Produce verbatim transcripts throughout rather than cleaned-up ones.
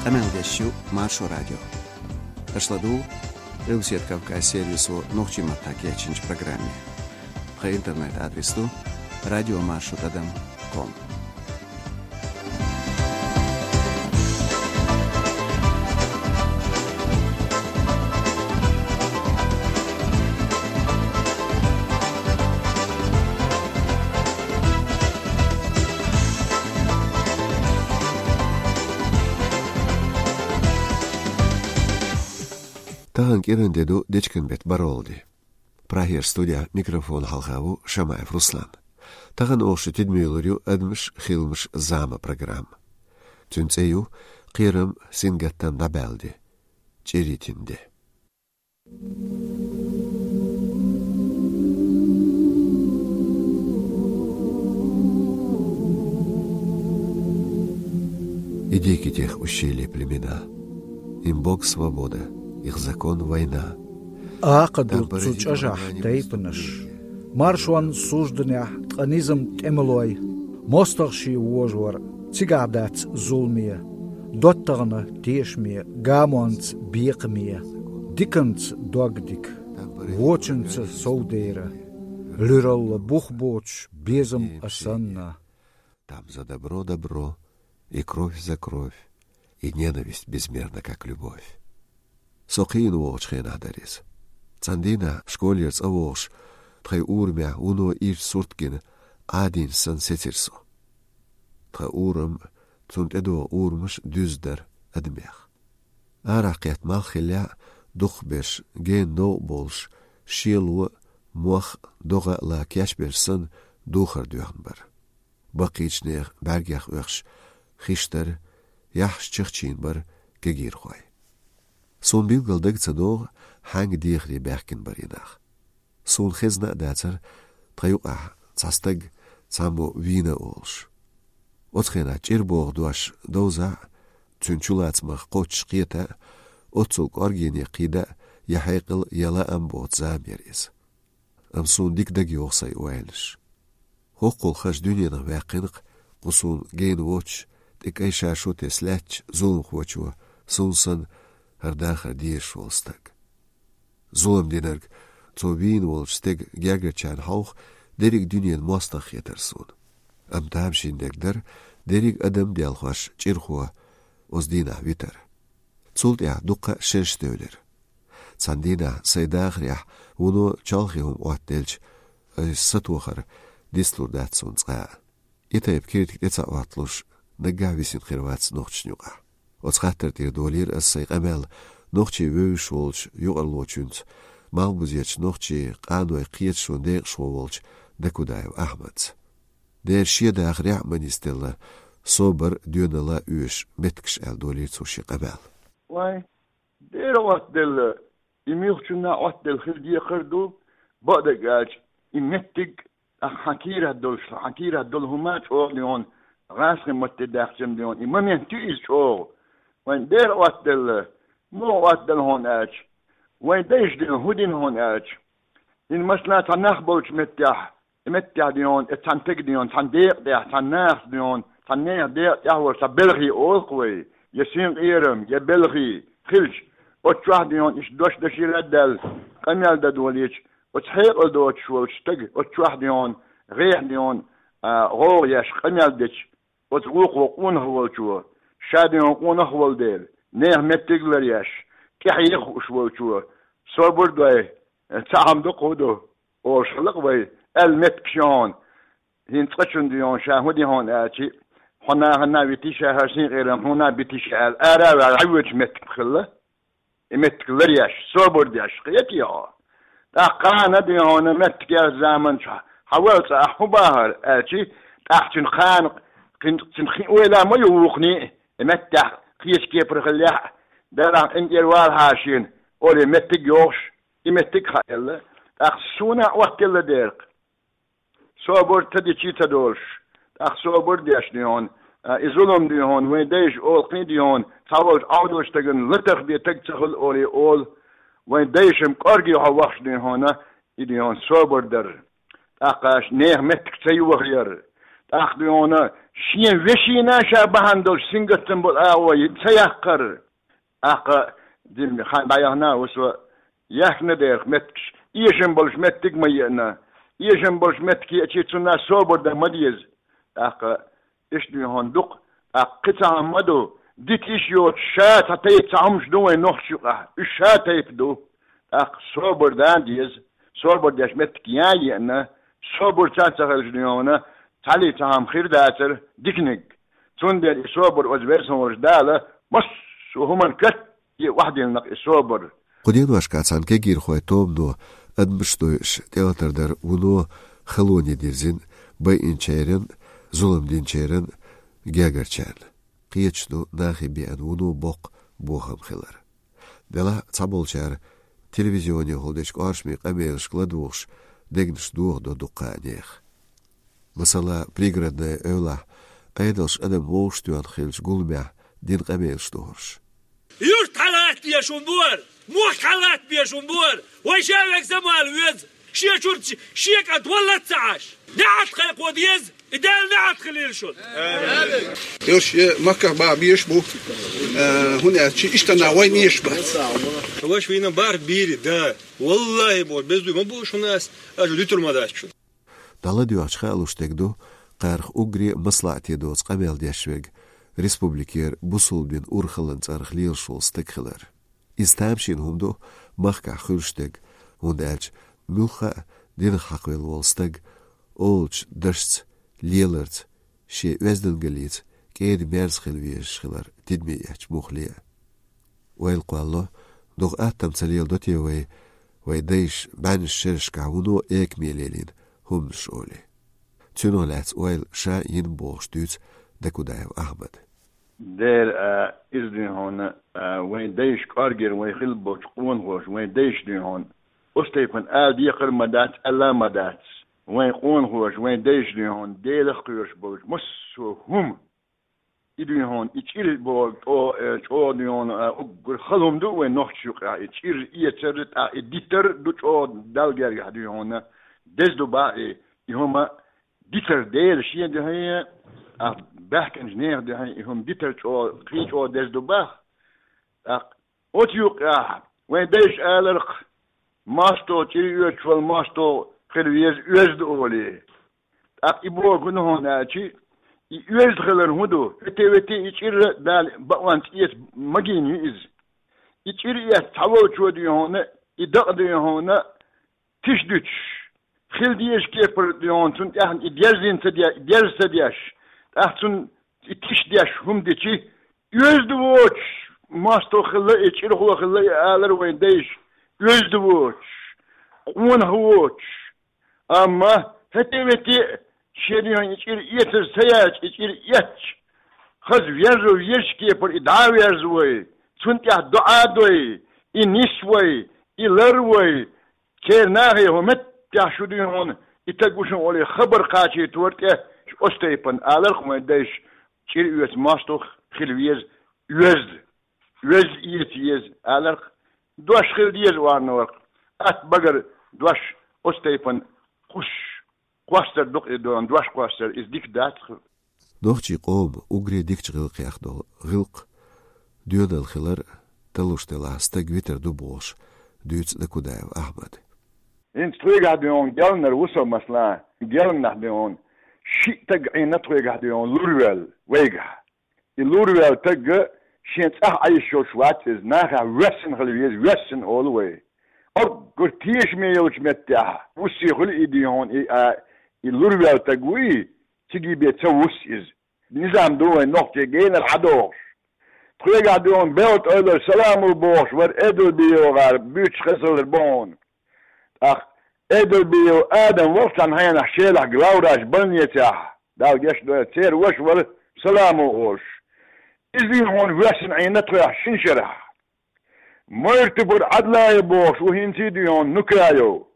Къамел деш ю Маршо радио. Аша ладугӀу Къилбаседа Кавказ сервисо нохчийн маттахь кечйинчу программе. Тхан интернет-адрес ду радиомаршо тӀадам ком. Тахана кӀиран де ду, дечкен беттан бархӀалгӀа де. Прагера студехь микрофон хьалха ву Шамаев Руслан. Тахана оха шун тидаме лур ю «Адамаш, хиламаш, зама» программа. Цуьнан цӀе ю «Кхерам, сингаттам дӀабаьлла де. ЧӀир йитина де». И дикие тех ущелья племена. Им бог свобода, их закон война. Акха ду цу чӀожахь тайпанаш. Маршонна сужданехь ткъа низам тӀемалой. МостагӀа шен вожор, цигахь дац зуламе, доттагӀна тешаме, гамонца бекхаме, диканца догдика, вочунца совдера, луьралла бух боцуш безам а санна. Там за добро добро, и кровь за кровь, и ненависть безмерна, как любовь. Со кхийна вогӀучу хенахь дара иза. Цхьана дийнахь школера цӀа вогӀуш, тхайн урамехь вуно ирча сурт гина, Ӏадийна санна сецира со. Тхан урам, цунна тӀедогӀу урамаш дуьзна дара адамех. Арахь кхетта малх хиллехь а, дукхахберш, гена новкъа болуш, шело а, мох а, догӀа а ла кечберш санна, духар доьхна бара. Баккхийчу нехан бӀаьргех оьхуш хиш дара, яххьаш чахчийна бара кегийрхой. Суна билггал дага ца догӀу, хьаьнга дехаре баьхкина бара и нах. Суна хезна а дацара тхан юкъахь цхьа стаг цхьаммо вийна а волуш. Оцу хенахь чӀир боху дош довза а, цуьнан чулацамах кхоччуш кхета а, оццул кӀоргене кхийда а я хьекъал, я лаам боцу зама яра иза. Амма суна дика дага йогӀу сайн ойланаш. ХӀоккхул хаза дуьненах ваьккхина-кх кху суна гена воцуш, тӀе кӀайн шаршо тесна лаьттачу зуламхочо, суна санна, хӀара дахар дезаш волу стаг. Зулам динарг, цо вийна волчу стеган гергарчарна хьовха, дерриг дуьненан мостагӀа хетара суна. Амма тамашийна дерг дара дерриг адам а делхош чӀирхо оцу дийнахь витар. Цул тӀаьхьа дуккха а шераш девлира. Цхьана дийнахь сайн дахарехь вуно чолхе хӀума Ӏоттаделча, аса сатохар дицлур дац суна цкъа а. И тайпа киртиг тӀе ца Ӏотталуш, наггахь висина хир вац нохчашна юкъахь. Оцу хаттар тӀера долийра аса сайн къамел нохчийн вевзаш волчу юкъарлочуьнца, малхбузерчу нохчийн къанойн кхеташонан декъашхо волчу Дакудаев Ахьмадца. Дера шен дахарехь а ма нисделла, собар а, доьналла а оьшу меттигаш, аьлла, долийра цо шен къамел. Вай, дера Ӏоттаделла, и муьлххачунна а Ӏоттаделла хила декхар ду, бакъдерг аьлча, и меттиг, ахьа хьан кийрахь долуш, хьан кийрахь долу хӀума а чӀогӀа дуьйхьун, гӀазкхийн матте даьхча дуьйхьун, и момент ю иза чӀогӀа. Вайн дера Ӏоттаделла, муха Ӏоттаделла хьуна аьлча, вайн дайша дуьйхьун, хӀун дина хьуна аьлча, хӀинца, масала, цхьа нах болчу меттехь, и меттехь дуьйхьун, и цхьана стеган дуьйхьун, цхьана декъа тӀехь, цхьана нахаца дуьйхьун, цхьана нехан декъа тӀехь волу цхьа белхи олу-кх вай, я синкъерам, я белхи хилча, оцу чохь дуьйхьун иштта дош дашийла а даьлла, къамел дан долийча, оцу хьекъал доцуш волчу стага оцу чохь дуьйхьун, гӀехь дуьйхьун, а, гӀовгӀа еш къамел дечу, оцу вукхо къонах волчо, ша дуьйхьун къонах волу дела, нехан меттиг ларъеш, тӀаьхье хууш волчо, собар дой, цхьа хӀума ду-кх, хӀун ду, олуш хилла-кх вай, аьлла меттигаш ю хьуна. ХӀинца цкъачунна дуьйхьун, ша хӀун дина хьуна аьлча, хьо нахана а витий, ша хӀара синкъерам хьуна а битий ша аьлла, ара а ваьлла, хьан воьдуш меттиг хилла? И меттиг ларъеш, собар деш, кхетий хьо? ТӀаккха кхана дуьйхьун меттиг яьллачу заманчохь, хьан валла цӀа ахь хӀун бахара аьлча, тӀаккха цуьнан кхана, кхин, цуьнан кхин ойла ма ю вукхунний, и меттехь кхечу кепара хиллехь а, Делахь къинтӀера валахьа шена, олий меттиг йохуш, и меттиг а хаьлла, тӀаккха суна а Ӏоттаделла дера-кх. Собар ца дичий ца долуш, тӀаккха собар деш дуьйхьун, а, и зулам дуьйхьун, вайн дайша олу-кх дуьйхьун, цхьаволчу Ӏовдалчу стагана латах бен таг ца хуьлу олий олу, вайн дайша-м кӀорге хьо вахча дуьйхьуна, и дуьйхьун собар дар. ТӀаккха аша нехан меттиг ца йохаяр, ТӀаккха дуй хьуна, шен вешийна ша бахьана долуш сингаттам болу агӀо ца яккхар. ТӀаккха дин хан дӀаяхна ву со, яхна дерх меттигаш, эшам болуш меттиг ма еана. Эшам болуш меттиг еачи цунна собар дан ма деза. ТӀаккха иштта дуй хьуна дукха, тӀаккха кхин цхьа хӀума ма ду, дита йиш йоцуш, ша цхьа тайпа цхьа хӀумаш ду вайн нохчийн юкъахь, уьш ша тайпа ду. ТӀаккха собар дан деза, собар деш меттиг ян а еана, собар ца ца хилча дуй хьуна, цхьаллий цхьа хӀума хир дацара диканиг. Цундела и собар оцу Веза-Воккхачу Дала массо а хӀуманна катте охьадиллина и собар. Кху деношкахь цхьана кегийрхойн тобано адамаш дойуш тӀелатар дара вуно халоне дирзина, байинчеран, зулам динчеран гергарчарна. Кхеташ ду нахе беана вуно боккха бохам хилар. Делахь а цхьаболчара телевизионехула дечу кӀоршаме къамелашка ладугӀуш дегнаш дохадо дуккха а нехан. Масала, Пригородная эвлахь Ӏедалша адам вовшахтоьхна хиллачу гуламехь дина къамелаш ду хӀорш. Юрт хьалатта беш хӀун бора? Мохк хьалатта беш хӀун бора? Вай ша вега замала веза, шен чуьра шен кӀант валлалц ца Ӏаш. НеӀалт кхайкхо деза, и Дала неӀалт хилийла шуна. Йо, шен махках бан беш бу, э, хӀунда аьлча иштта нах вайна эш бац. Ваша вийна барх бийри, да. Валлахи, боху, беза дуй ма бу шуна ас, аша дуьтур ма дац шуна. ДӀаладоьгӀча хаалуш дерг ду, кхарах уггаре а маслаӀате доцу къамел деш верг республикера бусулба дин урхаллин цӀарах лелаш волу стаг хилар. Иза тамашийна хӀума ду махкахь хуьлуш дерг, хӀунда аьлча муьлхха а динах хьакхавелла волу стаг олучу дашца, леларца, шен оьздангаллица кӀеда-мерза хила везаш хилар тидаме эцча муххале а. Ойла кхоллало, дукха атта ца леладо те вай, вайн дайша бӀеннаш шерашкахь вуно экаме лелийна хӀуманаш олий. Цунах лаьцна ойла ша йина бохуш дуьйцу Дакудаев Ахьмада. Дера, а, иза дуй хьуна, а, вайн дайша кӀоргера вай хилла болчу къонахоша, вайн дайша дуй хьуна, оцу тайпана ала декхар а ма дац, аьлла а ма дац. Вайн къонахоша, вайн дайша дуй хьуна, Делах кхоьруш болчу массо а хӀума. И дуй хьуна, и чӀир боху чӀо-, э, чӀогӀа дуй хьуна, а, уггар хала хӀума ду вайн нохчийн юкъахь, и чӀир эцар, тӀаккха и дитар ду чӀогӀа Далла гергахь дуй хьуна, деза ду бах и, и хӀума дитар Дела шен дуьхьа, а, баьхкинчу нехан дуьхьа и хӀума дитар чӀогӀа, кхин чӀогӀа деза ду бах. ТӀаккха оцу юкъахь вайн дайша аларх, мостагӀа чӀир оьцуш волу мостагӀа хила веза оьзда олий. ТӀаккха и боху хӀун ду хьуна аьлчи, и оьзда хилар хӀун ду? ХӀетте-ветте и чӀир а Дала бакъонца эца магийна ю иза. И чӀир эцна цхьаволчо дуй хьуна, и дакъа дуй хьуна, тиша дуьтуш, хила дезачу кепара дуй хьуна, цунна тӀаьхьа и дерзийна ца де-, дерза ца деш, тӀаккха цунна и тиша деш хӀума дичи, оьзда воцуш мостагӀа хилла и, чӀирхо хилла и алар вайн дайша, оьзда воцуш, къонах воцуш. Амма хӀетте-ветте а шен дуьхьа и чӀир эцар ца яьлча, и чӀир эцча, хаза верзо везачу кепара и дӀа а верза вай, цунна тӀехь доӀа а дой, и нис вай, и лар вай, церан нахе хӀун меттехь шу дуй хьуна, и таг ву шуна олий хабар кхачийтора тӀе оцу тайпана аларх вайн дайша, чӀир оьцу мостагӀа хила веза оьзда, оьзда эца еза аларх, дош хила деза орна варх, атта багара дош оцу тайпана кхуссуш, кхоссар ду-кх и дона, дош кхоссар, иза дика дац-кх. Нохчийн къоман уггаре дикачу гӀиллакхех долу гӀиллакх, доьналла хилар талуш делахь стаг витар ду бохуш дуьйцу Дакудаев Ахьмада. ХӀинца тхоьгахь дуй хьуна гелнара ву со, масала, гелнахь дуй хьуна, шиъ таг Ӏийна тхоьгахь дуй хьуна лур ваьлла вайгахь. И лур ваьлла таг шен цӀахь Ӏайшош вац иза, нахехь воьссина хила веза, воьссина олу вай. Оггар тешаме йолчу меттехь вуссий хуьлу и дуй хьуна, и, а, и лур ваьлла таг вуй, цига бен ца вусс иза. Низам ду вайн нохчийн генара хьадогӀуш. Тхоьгахь дуй хьуна белта ойлар саламо бохуш вара Эдалбиев гӀар буьйцуш хезалар бу хьуна. ТӀаккха Эдалбиев Адам вара цхьана хьенахь Шелахь главврач больницехь, Дала гечдойла, церан ваша вара саламо олуш. Иза дуй хьуна воьссина Ӏийна тхоьгахь шина шарахь. Майртупара Ӏадлаев бохуш ву хӀинца а дуй хьуна Нукаев.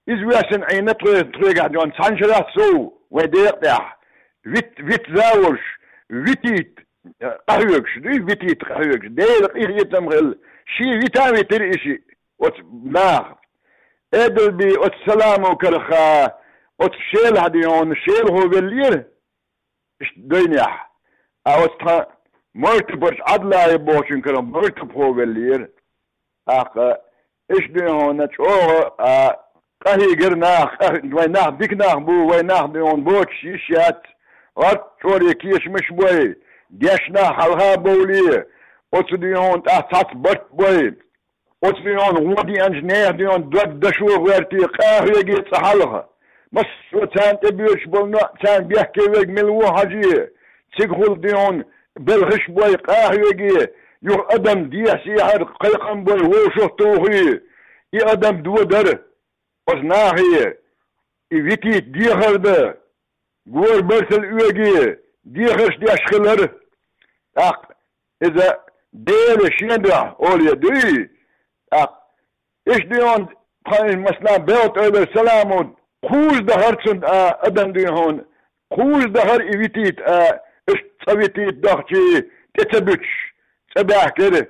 Иза воьссина Ӏийна тхоьгахь дуй хьуна цхьана шарахь сов вайн декъа тӀехь. Вит, вит завуч, витийта къахьоьгуш дуй, витийта къахьоьгуш. Делан къинхетам хилла, шен вита а витира и шиъ оцу наха. Эдалби оцу саламо карахь, оцу Шелахь дуй хьуна, Шелахо веллера. иштта дайнехь, а оцу тхан мартапарчу Ӏадлаев бохучун карахь мартапхо веллера. ТӀаккха иштта дуй хьуна чӀогӀа а къахьийгира нах, къа-, вай нах дика нах бу, вай нах дуй хьуна боцуш йиш яц, гӀатта чӀоре кешамаш бой, дешна хьалха а бовлий, оцу дуй хьуна тӀаккха цхьацца барт бой, оцу дуй хьуна гӀо деанчу нехан дуй хьуна дог дашо гӀоьртий, къахьоьгий цкъа хьалха. Массо а царна тӀебоьдуш болу ноӀ, царна бехке верг мила ву хьажий, цигахула дуй хьуна белхаш бой, къахьоьгий, юха адам дехьа-сехьара кхайкхам бой, вовшах а тухий, и адам додарий оцу нахе, и витийта дехар дан, гора барсал оьгий, дехарш деш хилар. ТӀаккха иза Дела шен дуьхьа оле дуй. ТӀаккха иштта дуй хьуна тхан, масала, белта ойла Саламо, кхузза дахара цунна, а, адам дуй хьуна, кхузза дахара и витийта, а, иштта цкъа витийта дахчий тӀе ца буьтуш, цӀа баьхкира.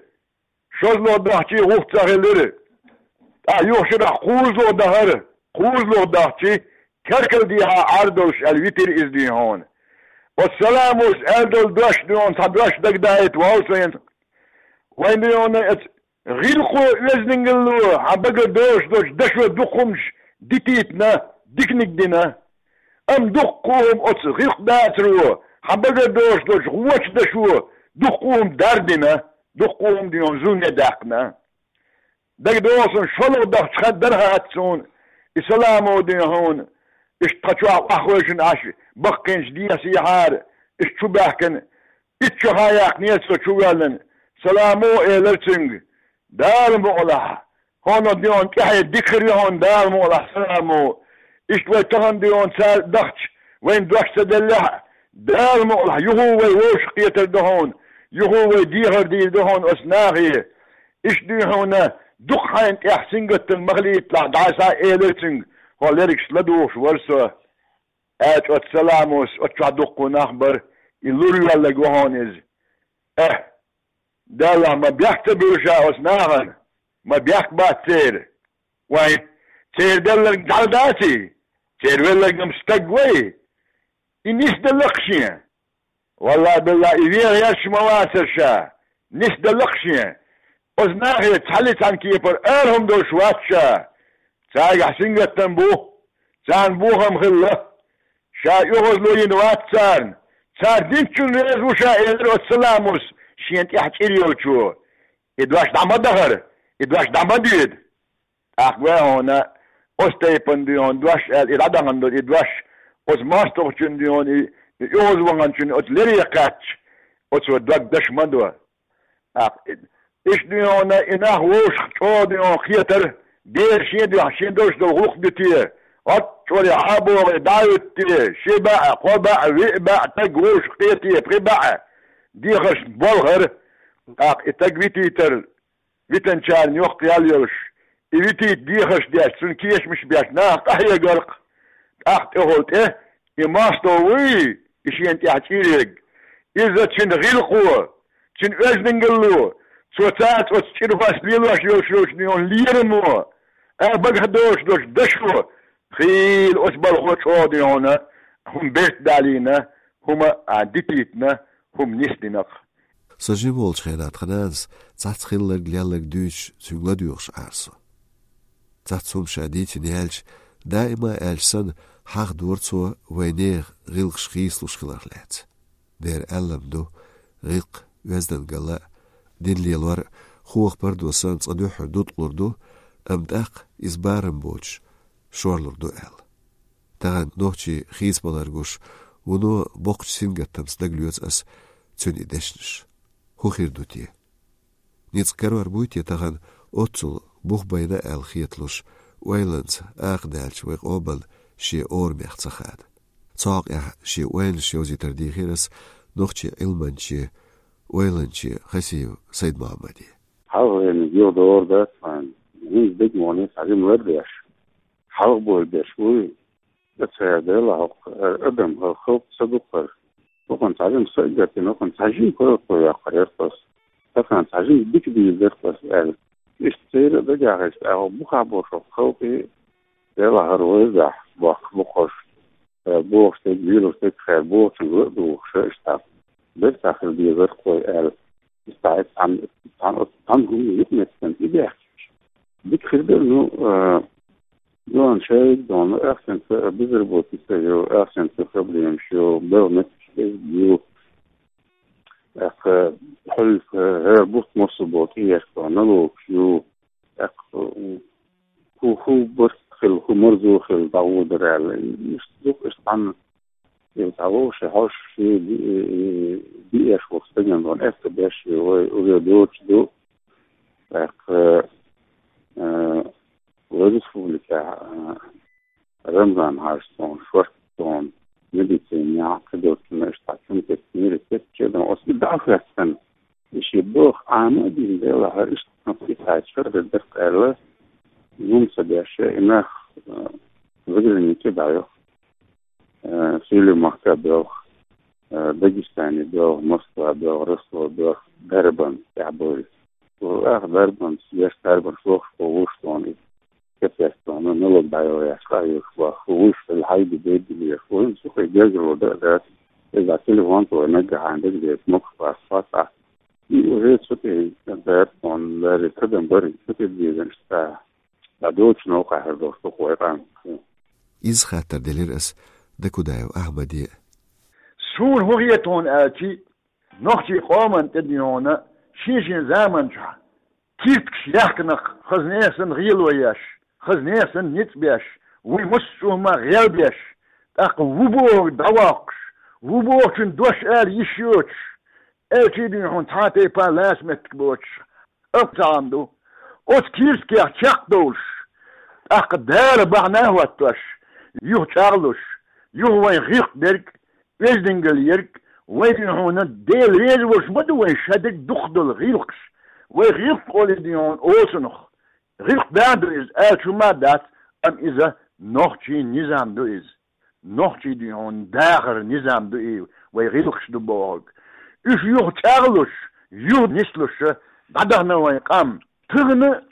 ШозлагӀа дахчий гӀуллакх ца хилира. ТӀаккха юха шарахь кхузлагӀа дахара, кхузлагӀа дахчий керкал дехьа Ӏар долуш аьлла витира иза дуй хьуна. Оцу Саламос аьлла долу дош дуй хьуна, цхьа дош дагадайта вовшахвайна. Вайн дуй хьуна оцу гӀиллакхо, оьздангалло хьан багара доцуш долчу дашо дукха хӀуманаш дитийтина, диканиг дина. Амма дуккха а хӀума оцу гӀиллакх дацаро, хьан багара доцуш долчу гӀочу дашо дуккха а хӀума дардина, дуккха а хӀума дуй хьуна зуламе даьккхина. ДагадогӀу суна, шолгӀа дахча хан дара хаьттича суна, и Саламо дуй хьуна, иштта тхан чохь охьахевшина Ӏаш, баккхийнчу дехьа-сехьара, иштта чу баьхкина, итт шо хан яьккхинера цо чу воьллина. Саламо элира цуьнга: «Дала мукъалахь, хьуна дуй хьуна тӀаьхье дика хир ю хьуна, Дала мукъалахь, Саламо. Иштта вай тахана дуй хьуна цара дахча, вайна дош ца деллехь а, Дала мукъалахь, юха вай вовшахкхетар ду хьуна, юха вай дехар дийр ду хьуна оцу нахе. Иштта дуй хьуна, дукха хьайна тӀехь сингаттам ма хилийталахь дӀасхьа», — элира цуьнга, хьо лергаш ладугӀуш вара со. Аьлча оцу Саламос, оцу чохь дуккха нах бара, и лур йоьлларг ву хьуна иза. Эхь, Далла, ма бехк ца буьллу ша оцу нахана, ма бехк бац церан. Вайн, церан делларг дӀа даций? Церан велларг-м стаг вай. И нисделла-кх шен. Валлахь-биллахь, и вен гӀерташ ма вацара ша, нисделла-кх шен. Оцу нахе цхьаллий цхьана кепара ара хӀума долуш вац ша. Цаьргахь сингаттам бу, царна бохам хилла. Ша оьгӀазло йина вац царна. Цара динчунна реза ву ша, элира оцу Саламос шен тӀехь чӀир йолчо. И дош дӀа ма дахара, и дош дӀа ма доьду. ТӀаккха вай хьуна оцу тайпана дуй хьуна дош аьлла, и дӀадахана долу и дош, оцу мостагӀчун дуй хьуна и, и оьгӀазваханчун оцу лере кхаьчча, оцо дог даш ма до. ТӀаккха и, иштта дуй хьуна и нах вовшах чӀогӀа дуй хьуна кхетара, дера шен дуьхьа, шен долуш долу гӀуллакх дуьтий, гӀатта чӀоре хьа а богӀий, дӀа а хӀуьттий, ши баьӀ, кхо баьӀ, виъ баьӀ, таг вовшах кхетий, пхи баьӀ, дехаршна болхара. ТӀаккха и таг витийтар, витанчарна йоккха ял йолуш, и витийта дехарш деш, цунна кешамаш беш, наха къахьегаркх. ТӀаккха тӀехула тӀе и мостагӀа вуй, и шена тӀехь чӀир ерг. Иза цуьнан гӀиллакхо, цуьнан оьздангалло, цо цаьрца оцу чӀирхошца лелош йолуш йолчу дуй хьуна лерамо, а, багахь доцуш долчу дашо, хийла оцу балхо чӀогӀа дуй хьуна хӀума берт далийна, хӀума, а, дитийтина, хӀума нисдина-кх. Со жима волчу хенахь тхан нанас цхьацца хилларг-лелларг дуьйцуш, цуьнга ладоьгӀуш Ӏара со. Цхьацца хӀума ша дийцина яьлча, даима аьлча санна, хьахадора цо вайн нехан гӀиллакхаш хийцалуш хиларх лаьцна. Дера аьлларг ду, гӀиллакх, оьздангалла а, дин лелор а, хохапардо санна, цкъа дуьххьара дуткъалур ду, амма тӀаккха иза барам боцуш, шорлур ду аьлла. Тахана нохчий хийцабалар гуш, вуно боккхачу сингаттамца дагалоьцу ас цуьнан и дешнаш. ХӀун хир ду те? Ницкъ карор буй те тахана оццул бух байна аьлла хеталуш, ойланца акха даьллачу вайн къоман шен орамех ца хада? Цу хьокъехь шен ойланаш йовзийтар дийхира ас нохчийн Ӏилманче, ойланче Хасиев Сайд-Мохьмаде. Хьалха вайна гил дора дац хьайна, хӀинца дегнане цхьа жима лар деш. Хьалха бой деш вуй, ца Дела хьокху, э, адам хьо халкъ ца дукхара. Хьокхун цхьа жима са а гатина, хьокхун цхьа жима халкъо яккхар яра тхо. Тахана цхьа жима дика дийр дара тхо аьлла. Иштта церан а дагахь иштта, ахьа бухахь бохуш хьо халкъе, Дела хьара вайзахь бохкуш бу хьош. Э, бохуш дерг, вирус дерг хер бохучун гур а духуш, иштта бертахар дезар кхой аьлла. Иштта цхьан, цхьан, цхьан хӀума юкъаметтан и бехкаш. Дика хир дара, ну, а, ну, ан шайг дона, ахсенца безработица ю, ахсенца проблемаш ю, бел метташ ю, ахка хьулка, гӀер бут мосу бот иерка, налогаш ю, ахка ху, ху барт хил, ху марзо хил, дагӀу дарал. Иш дук, иш тан, ил дагӀу, ши хьош, ши би, биэш вохстаган дон, ахка беш, ой, уже доч ду, ахка, э, Вай республика, а, Рамзан хьаштон, шортон, медицина, кадотна, штатун, технира, тетчедан, осли дахвестан. Иши бох, ама дин дела, ха, иштна, питачар, деркъела, нум садяше, инах, а, заграница даёх. Э, Сили Махка бёх, э, Дагестане бёх, Москва бёх, Ростов бёх, Дарбан, Тябой. Ах, Дарбан, еш Дарбан, шох, шох, шох, капец, ну, ну, лог байо, я, ска, я, шох, шох, шох, хайди, беди, я, шох, шох, я, герзер, да, да. Из телефон, то, на, гахан, да, где, смог, шох, шох, шох. И уже что-то, да, он, да, это, да, барин, что-то, где, да, что-то. Да, дочь, ну, как, да, что, кое, там. Иза хаттар делира ас Дакудаев Ахьмаде. Суна хӀун хета хьуна аьлчи, нохчий къоман тӀедийхьуна шен-шен заман чу киртгаш яхканах хаза несан гӀело еш, хаза несан ницкъ беш, вуй мус чӀума гӀел беш, тӀаккха ву боху дӀавоккхуш, ву бохучун дош ала йиш йоцуш, аьлчий дийхьуна цхьа а тайпа лаьца меттиг боцуш, амма цхьа хӀума ду. Оцу кирсткех чекхдовлуш, тӀаккха Дала бахьана а хӀоттош, юха чӀагӀлуш, юха вайн гӀиркъ дерг, оьздангалла ерг, вай дийхьуна Дела реза волуш ма ду вайн ша дерг дукхах долу гӀиллакхаш. Вай гӀиллакх олий дийхьуна оцунах. ГӀиллакх да ду иза, аьлча хӀума а дац, амма иза нохчийн низам ду иза. Нохчий дийхьуна дахар низам ду и, вай гӀиллакхаш ду бохург. Уьш юха чӀагӀлуш, юха нислуш, дӀадахана вайн къам. Тахана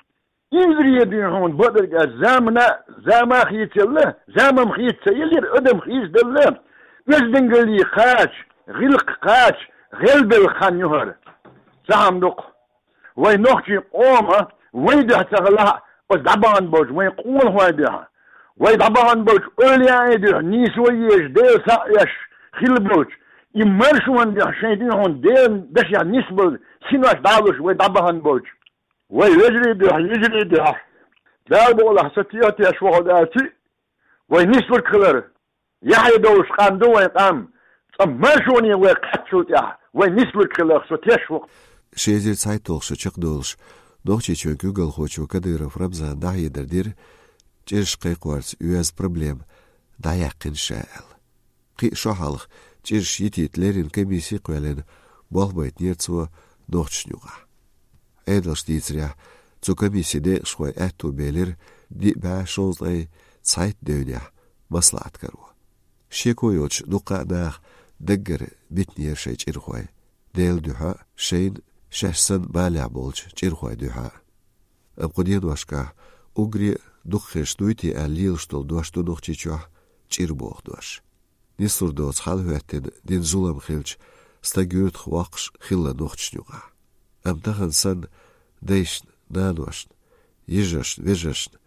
инзаре дийхьуна бакъдерг аьлча замана, зама хийцаелла, замам хийца ца елира, адам хийцаделла, оьздангаллий кхача, гӀиллакх кхача, гӀелбелла хан ю хӀара. Цхьа хӀума ду-кх. Вай нохчий къома вай дуьхьа ца хилахь, оцу дӀабахана болчу вайн къонахой дуьхьа, вай дӀабахана болчу эвлаяийн дуьхьа, нийсо езаш, Дела схьа а еш хилла болчу, и маршонан дуьхьа шайн дуьхьуна Делан дашехь нисбала синош дӀалуш вай дӀабахана болчу. Вай вежарий дуьхьа, йижарий дуьхьа, Дала бакъалахь, со теха теш вахана аьлчи, вай нислург хилар. Яхье долуш къам ду вайн къам, цкъа маршоне вай кхаччул тӀаьхьа, вай нислург хиларх со теш ву-кх. Ши эзар цхьайтталгӀа шо чекхдолуш, Нохчийчоьнан куьйгалхочо Кадыров Рамзана дӀахьедар дира, чӀираш кхайкхорца оьзда проблема дӀаяьккхина ша аьлла. Кхин а шо хьалха чӀираш йитийта леррина комисси а кхоьллина, болх байтинера цо нохчашна юкъахь. Ӏедалша дийцарехь, цу комиссин декъашхойн аьтту белира диъ бӀе шовзткъе цхьайтта девнехь маслаӀат каро. Шеко йоцуш дуккха а наха даггара битинера шайн чӀирхой, Делан дуьхьа а, шайна шаьш санна балехь болчу чӀирхойн дуьхьа а. Амма кху деношкахь уггаре а дукха хезаш дуй те аьлла лелаш долу дош ду Нохчийчохь чӀир боху дош. Нислур доцу хьал хӀоьттина дина зулам хилча, стаг юьртах воккхуш хилла нохчашна юкъахь. Амма тахана санна дайшна, наношна, йижаршна, вежаршна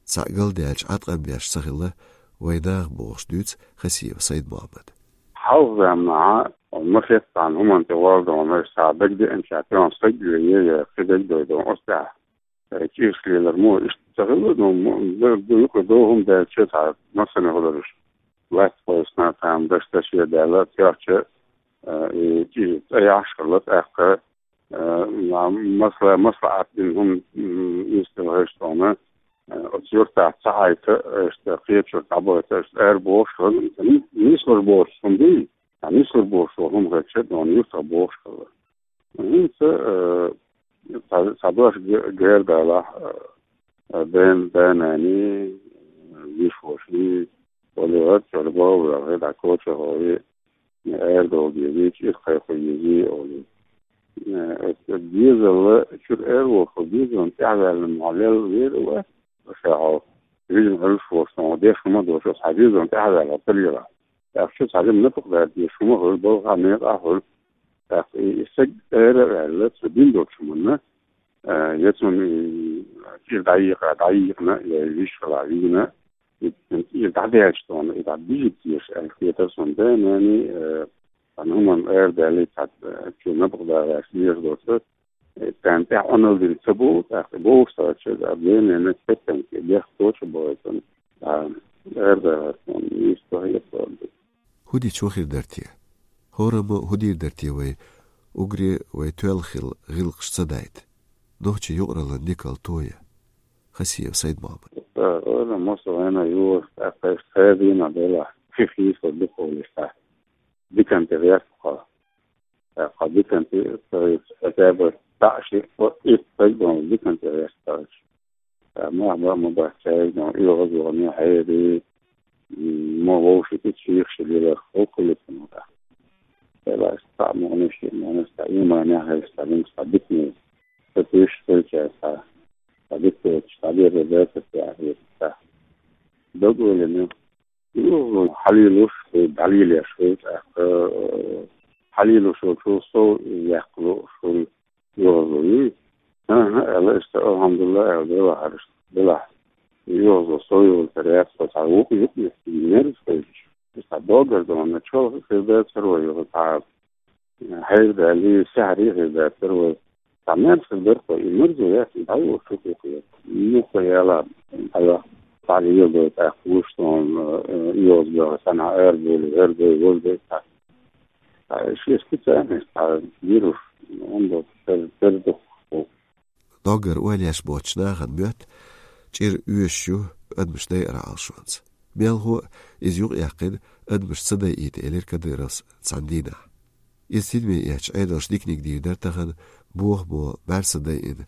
цхьаъ галдаьлча Ӏаткъам беш ца хилла вайн наха, бохуш дуьйцу Хасиев Сайд-Мохьмада. Хьалха заманахь ма хеттахьана хӀуманна тӀе валдонаш схьа дагадеанчаьрга тӀе стаг вене я кхин дагадойдо оцу тӀехь. Э, чӀираш лелар мо иштта ца хилла, ну, мо, ду, ду, юкъа догӀум даьлча, цхьа массане хилараш. Лаьтта кхойсна, там, даш-даше даьлла, тӀехча, э, и чӀир цӀа яхьаш хилла, тӀаккха, э, ма-, масла-, маслаӀат дина хӀума, м, институт хӀаьжцӀона, э, оцу юьртахь ца хьайта, иштта кхечуьра дӀабайта, иштта ара бохуш хилла, м, нислур бохуш хӀума дуй, а нислур бохуш хӀума хилча, ну, юьртах бохуш хилла. ХӀинца, э, цхьа, цхьа дош ге-, гер далахь, э, э, ден-, ден-нани, э, виш-воши, оли гӀад чӀорбовлахи, дӀакочахои, э, арадовла дезий, чӀир кхайкхо езий, оли. Э, э, дезалла чуьра араволхо, дезална тӀаьхьаваьлла ма лел вер а вац, ша хьо, вижна Ӏуьллуш волуш, сан деш хӀума а доцуш, хьан дезална тӀаьхьаваьлла ца лела. ТӀаккха цхьа жима напагӀа дала дезаш хӀума хуьлу, балха, некъа хуьлу. ТӀаккха и, и стаг ара а ваьлла, цо дина долчу хӀуманна, а, я цунна, и, чӀир дӀайийкъа, дӀайийкъина, я виш хила вийна, и, и дӀадаьлча тхуна, и дӀабижийта дезаш аьлла хетара суна, да, нани, а, цхьана хӀуманна ара даьлла, цхьа, а, чу напагӀа далаш дезаш доцу, э, царна тӀехь Ӏуналла дина ца бу, тӀаккха бовш ца хилча, а, бенена кеттанке бехк кхочуш бу иза, а, ара далар суна нийса ца хета. ХӀун дича хир дара те? ХӀораммо хӀун дийр дара те вай, уггаре вай тоьлла хилла гӀиллакхаш ца дайта? Нохчийн юкъараллин никал тоя? Хасиев Сайд-Мохьмад. Ца, хӀораммо со вайна юха, тӀаккха иштта ца дийна делахь, пхи хийсо дукха волуш, тӀаккха диканте гӀерта кхо. ТӀаккха диканте, ца, хотя бы цхьаъ, шиъ, кхоъ, итт стаг дона диканте гӀерта кхо. ТӀаккха мах бан а ма бац цаьрга, оьгӀаз а вахана, хьерий, м, ма вовший кхин чехаш лелар, хӀокху летано тӀаккха. Делахь цхьаъ мукъанаш, шиъ мукъанаш, цхьа ийманехь хилча, цхьа динца, цхьа дикане ца туьйсуш хилча, цхьа, цхьа дика доцуш, цхьа дера дацара те аьлла, цхьа дог а лелийна. Юха хьалелош хуьлу, дӀалелош хуьлу, тӀаккха, э, хьалелош волчо сов яккха лууш хуьлу, оьгӀазло юй? ХӀан-хӀа, аьлла, иштта, алхьамдулиллахӀ, аьлла, делахь, делахь. ОьгӀазло сов йолчара яц, со цхьа вукху юкъа мерза хевшаш. Иштта догар дона, чолх хир дацара вай юха цхьа. Хьайр далий, саьхьарий хир дацара вай. Цхьа мерза хир дара-кх вай, и мерза яц, и дӀайолуш шу тӀе хир. Муха яла, хьайох, цхьа лела дой, тӀаккха вуьш сон, э, оьгӀаз боху, санна ара бели, хӀара дой, вара дой, цхьа. Цхьа ши специальность, цхьа вирус, он боху, тер-, тер духу. Доггара ойла еш боцчу нахана моьтту, чӀир оьшуш ю адамаш дайара Ӏалашонца. Мелхо а иза юкъаяьккхина, адамаш ца дайийта, элира Кадыровс цхьана дийнахь. Иза тидаме эцча, Ӏедалша диканиг дийр дара тахана, бохамо бӀаьрса дайина,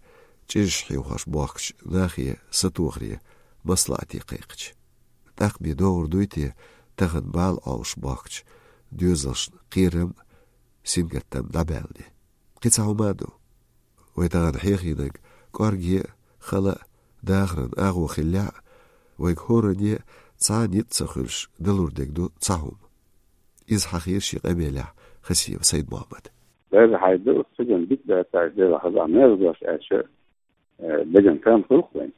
чӀираш хьийхош бохкучу нахе сатохаре маслаӀате кхайкхича. ТӀаккха бен догӀур дуй те тахана бала Ӏовшуш бохкучу доьзалшна кхерам а, сингаттам а дӀабаьлла де? Кхин цхьа хӀума а ду. Вай тахана хьехийнарг кӀорге а, хала а, дахаран агӀо хиллехь а, вайга хӀоранне а цхьа а ницкъ ца хуьлуш далур дерг ду цхьа хӀума. Иза хьахийра шен къамелехь Хасиев Сайд-Мохьмада. Дерриг хьайда, цигахь дика дац аьлла, дела хаза мерза дош аьлча, э, деган кам хуьлу-кх вайн.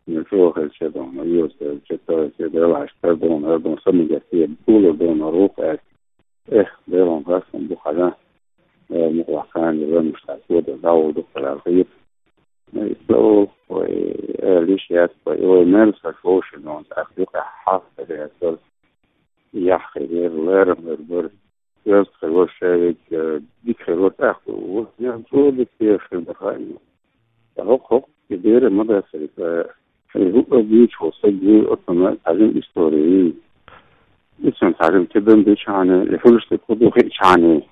Ну, чӀогӀа хилча дона, оьгӀаз хилча, то есть, делахь, тардона, ардона, самигатте, пулар дона, руху аьлла. Эх, Делан хастам бу хьажа, э, мукъалахь кхана ламуш цхьа кода дӀагӀур ду-кх аьлла хета. Э, исла олу, вай, аьлла йиш яц вай, вай мел саша вовшийн дона, тӀаккха юкъахь хьаста хир яц вара. Яхь хир яра, лерам хир бара. Оьзда хир вара шаьриг, э, дика хир вара тӀаккха. Вот, я, цо дика дезаш хир бара хаьий. ХӀокху, хӀокху, и бере ма дац, э, шайн хӀуъа дийча волу стаг вуй, оцунна цхьа жима истори юй. Иза цхьа жима тидам дичхьана, и хуьлуш дерг хӀун ду хиъчхьана.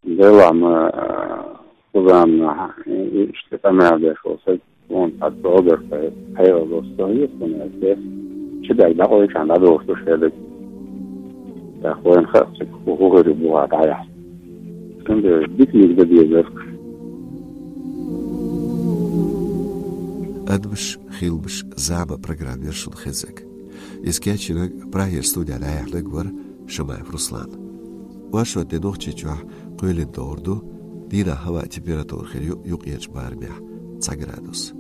Делахь ма, э, кхузамна, и, иштта къамел деш волу стаг. Вон цхьа догар кхайкха, хьайгӀа лоцу сан йоьху суна аьлла, чу даьлла дӀакъойчхьана дӀадохуш ду шадерг. ТӀаккха вайна хаьа цига хӀун хир ю бухахь дӀаяхьа. Цундела диканиг дан дезара. Адамаш, хиламаш, зама программера шуна хезарг. Иза кечйинарг, Прагера студехь дӀаяьхьнарг вара Шамаев Руслан. Оршот де Нохчийчохь кхоьлина догӀур ду дийнахь хӀаваан температура хир ю юккъерчу барамехь цхьа градус.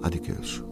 Ӏадика йойла шу.